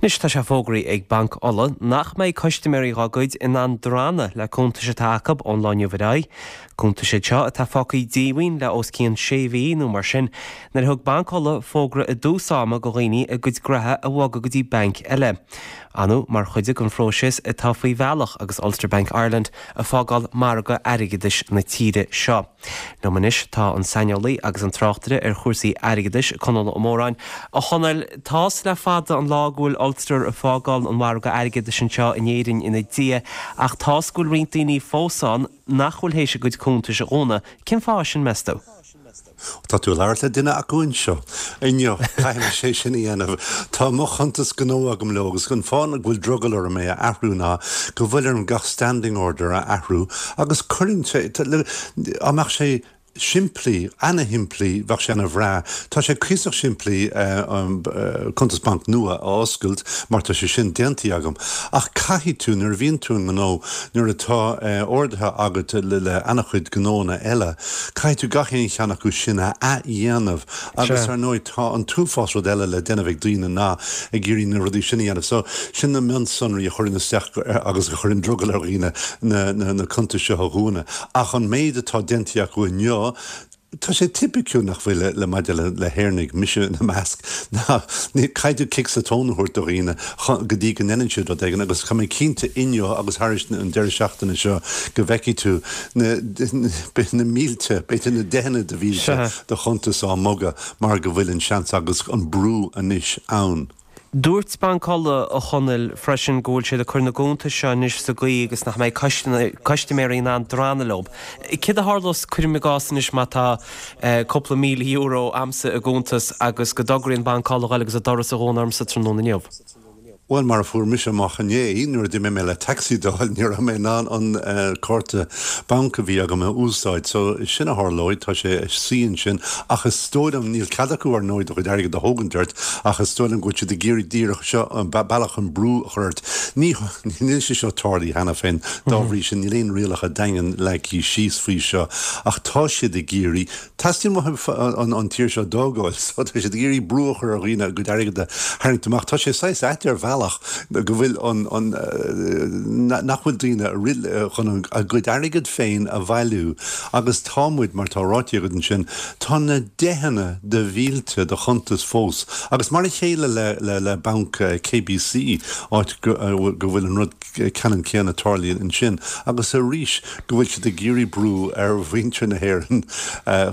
Anois tá sé fógraithe ag Banc Uladh nach mbeidh custaiméirí dhá gcuid in ann drannadh le cuntais atá acu ón lá inniu ar aghaidh. Cuntais iad seo atá fágtha díomhaoin le os cionn sé mhí nó mar sin nuair a thug Banc Uladh fógra i dtús ama go dhaoine a gcuid graithe a bhogadh go dtí banc eile. Ar ndóigh mar chuid den phróiseas atá faoi bhealach agus Ulster Bank Ireland ag fágáil margadh airgeadais na tíre seo. Liom anois tá an saineolaí agus an tráchtaire ar chúrsaí airgeadais, Conall Ó Móráin. A Chonaill, tá's le fada an lá go bhfuil Ulster ag fágáil an mhargaidh airgeadais anseo in Éirinn ina diaidh ach tá's go bhfuil roinnt daoine fós ann nach bhfuil théis a gcuid cuntais a dhúnadh. Cén fáth sin, meas tú? Tá tú ag labhairt le duine acu anseo inniu. Caithfidh mise é sin a dhéanamh. Tá mo chuntas gnó agam leo agus an fáth go bhfuil drogall orm é a athrú ná go bhfuil orm gach standing order a athrú agus cuireann sé, dá mbeadh sé simplí, ana-shimplí, bheadh sé ana-bhreá. Tá sé cuíosach simplí cuntas bainc nua a oscailt mar tá sé sin déantaí agam. Ach caithfidh tú, nuair a bhíonn tú i ngnó, nuair atá orduithe agat le ana-chuid gnóanna eile, Caithfidh tú gach aon cheann acu sin a athdhéanamh agus ar ndóigh tá an t-uafás rud eile le déanamh ag daoine ná ag iarraidh na rudaí sin a dhéanamh. So sin na mionsonraí a chuireann isteach agus a chuireann drogall ar dhaoine na cuntais seo a dhúnadh. Ach an méid atá déanta acu inniu, tá sé tipiciúil nach bhfuil le maidir le hÉireannaigh, mise ina measc, ná caithfidh tú cic sa tóin a thabhairt do dhaoine go dtí go ndéanann siad rud éigin agus tá mé cinnte inniu agus thairis an deireadh seachtaine seo go bhfeicfidh tú na na mílte, b'fhéidir na deicheanna de mhílte de chuntais á mbogadh mar go bhfuil an seans agus an brú anois ann. Dúirt Banc Uladh, a Chonaill, freisin go bhfuil siad ag cur na gcuntas seo anois sa gcaoi agus nach mbeidh custaiméirí in ann drannadh leo. Céard a tharlós, cuirim i gcás anois, má tá cúpla €1,000 a'msa i gcuntas agus go dtograíonn Banc Uladh a ghoil agus an doras a dhúnadh ormsa tráthnóna inniu? Bhuel, mar a fuair mise amach inné, nuair a d'imigh mé le taxi d'fháil, ní raibh mé in ann an cárta banc a bhí agam a úsáid. So, sin a tharlóidh, tá sé ag suí ansin. Ach is dóigh liom, níl cead acu ar ndóigh do chuid airgid a thógaint ort, ach is dóigh liom go bhfuil siad ag iarraidh díreach seo, an bealach chun brú a chur ort. Ní, níl sé seo tarlaithe cheana féin, dá bhrí sin níl aon rialacha daingean leagtha síos faoi seo, ach tá siad ag iarraidh, Teastaíonn uathu an tír seo d'fhágáil so tá siad ag iarraidh brú a chur ar dhaoine a gcuid airgid a tharraingt amach. Tá sé saghas ait ar bhealach go bhfuil an, an, nach bhfuil daoine chun a gcuid airgid féin a bhailiú agus tá muid, mar tá ráite agat ansin, tá na deicheanna de mhílte de chuntais fós agus mar a chéile le, le, le banc KBC, áit go, go bhfuil an rud ceannann céanna tarlaíonn ansin agus arís go bhfuil siad ag iarraidh brú ar mhuintir na hÉireann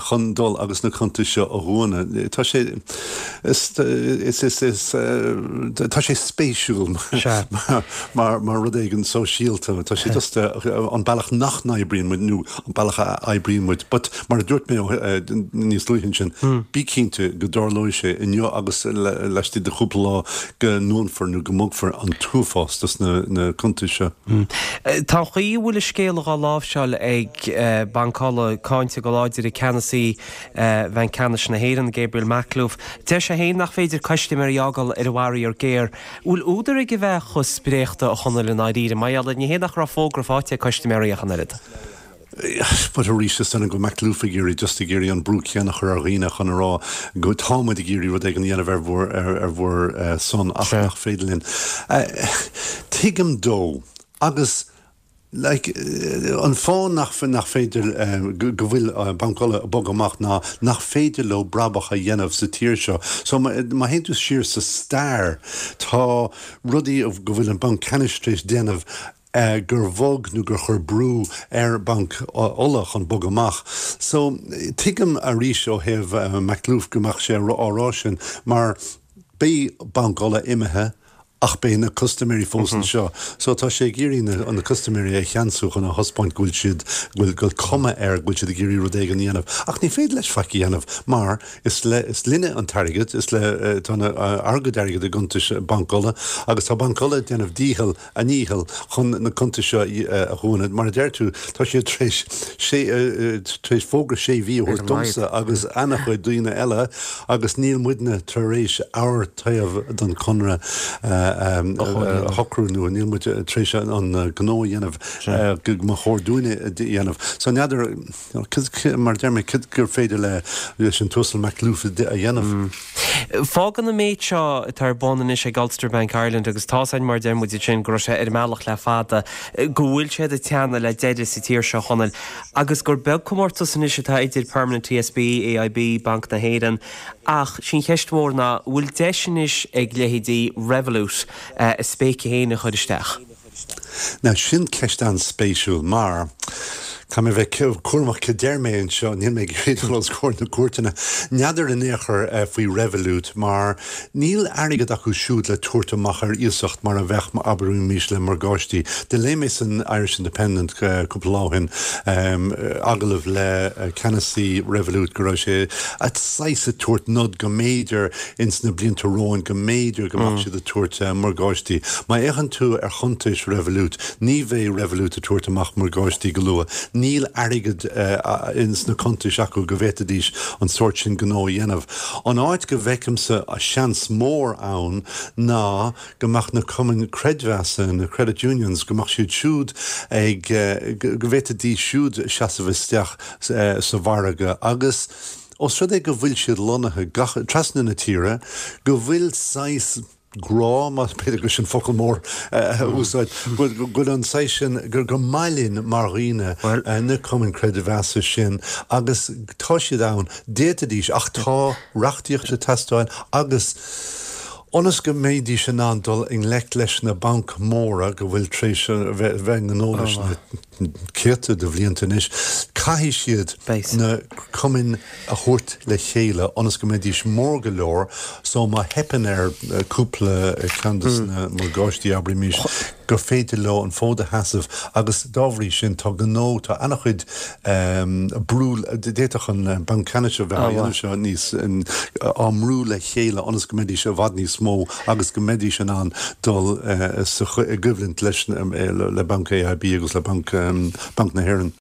chun dul agus na cuntais seo a dhúnadh. Tá sé is is is tá sé spéisiúil mar mar rud éigin sóisialta. Tá sé just an bealach nach n-oibríonn muid nó an bealach a oibríonn muid. But mar a dúirt mé níos luaithe ansin, bí cinnte go dtarlóidh sé inniu agus laistigh de chúpla lá go ndúnfar nó go mbogfar an t-uafás dos na cuntais seo. Tá an chaoi a bhfuil an scéal dhá láimhseáil ag Banc Uladh cáinte go láidir ag ceannasaí Bhanc Ceannais na hÉireann, Gabriel Makhlouf. Deir sé féin nach féidir custaiméirí a fhágáil ar a bhfaraor géar. Bhfuil údar aige a bheith chomh spréachta, a Chonaill, i ndáiríre? Mar gheall ar ní hé nach raibh fógra faighte ag custaiméirí ach an oiread. But arís, is dóigh liom go bhfuil Makhlouf ag iarraidh, just ag iarraidh an brú céanna a chur ar dhaoine chun a rá go tá muid ag iarraidh rud éigin a dhéanamh ar bhur, ar bhur son ach nach féidir linn. Tuigim dó agus like an fáth nach, nach féidir, go bhfuil Banc Uladh ag bogadh amach ná nach féidir leo brabach a dhéanamh sa tír seo. So má théann tú siar sa stair, tá rudaí go bhfuil an Banc Ceannais tar éis déanamh, gur bhog nó gur chuir brú ar Banc Uladh chun bogadh amach. So, tuigim arís ó thaobh Makhlouf go mbeadh sé á rá sin mar beidh Banc Uladh imithe ach beidh na custaiméirí fós anseo. So tá sé ag iarraidh na na custaiméirí a cheansú chun a thaispeáint go bhfuil siad, go bhfuil, go bhfuil cuma air go bhfuil siad ag iarraidh rud éigin a dhéanamh. Ach ní féidir leis faic a dhéanamh mar is le, is linne an t-airgead, is le, tá na, ár gcuid airgid i gcuntais Banc Uladh agus tá Banc Uladh ag déanamh dícheall a ndícheall chun na cuntais seo a dhúnadh. Mar a deir tú, tá siad tar éis sé, tar éis fógra sé mhí a thabhairt domsa agus ana-chuid daoine eile agus níl muidne tar éis ár taobh den chonradh. a shocrú nó níl muid tar éis an gnó a dhéanamh go mba chóir dúinne a dhéanamh. So n'fheadar, mar a deir mé, cad gur féidir leis an tUasal Makhlouf a dhéanamh. Fágann an méid seo atá ar bun anois ag Ulster Bank Ireland, agus tá's againn mar a deir muid ansin go raibh sé ar an mbealach le fada, go bhfuil siad ag teannadh le deireadh sa tír seo, a Chonaill, agus gur beag comórtas anois atá idir Permanent TSB, AIB, Banc na hÉireann, ach sí an cheist mhór ná, an bhfuil deis anois ag leithéidí Revolut a spéice féin a chur isteach? Now sin ceist an-spéisiúil mar caithfidh mé bheith cúramach cad deir mé anseo, níl mé ag iarraidh dul os comhair na cúirteanna. N'fheadar in aon chor faoi Revolut mar níl airgead acu siúd le tabhairt amach ar iasacht mar a bheadh, abraimis, le morgáistí. Do léigh mé san Irish Independent cúpla lá ó shin agallamh le ceannasaí Revolut go raibh sé saghas ag tabhairt nod go mb'fhéidir ins na blianta romhainn go mb'fhéidir go mbeadh siad ag tabhairt morgáistí. Má fhéachann tú ar chuntais Revolut, ní bheidh Revolut ag tabhairt amach morgáistí go luath. Níl airgead ins na cuntais acu go bhféadfaidís an sórt sin gnó a dhéanamh. An áit go bhfeicimse seans mór ann ná go mbeadh na cumainn creidmheasa, na credit unions, go mbeadh siad siúd ag, go bhféadfaidís siúd seasamh isteach sa mhargadh agus, Ós rud é go bhfuil siad lonnaithe gach, trasna na tíre, go bhfuil saghas grá, más b'fhéidir gur sin focal mór a úsáid, go bhfuil an saghas sin, gur gur maith linn mar dhaoine na cumainn creidmheasa sin agus tá siad ann, d'fhéadfaidís ach tá reachtaíocht ag teastáil agus ionas go mbeidís in ann dul i ngleic leis na bainc mhóra go bhfuil tar éis bheith i ngnó leis na céadta de bhlianta anois, caithfidh siad na cumainn a thabhairt le chéile ionas go mbeidís mór go leor so má theipeann ar cúpla ceann de na morgáistí, abraimis, gur féidir leo an fód a sheasamh agus dá bhrí sin tá gnó, tá an-chuid brú, d'fhéadfadh an Banc Ceannais a bheith á dhéanamh seo níos, á mbrú le chéile ionas go mbeidís i bhfad níos mó agus go mbeidís in ann dul sa i gcoimhlint leis le Banc AIB agus le Banc Banc na hÉireann.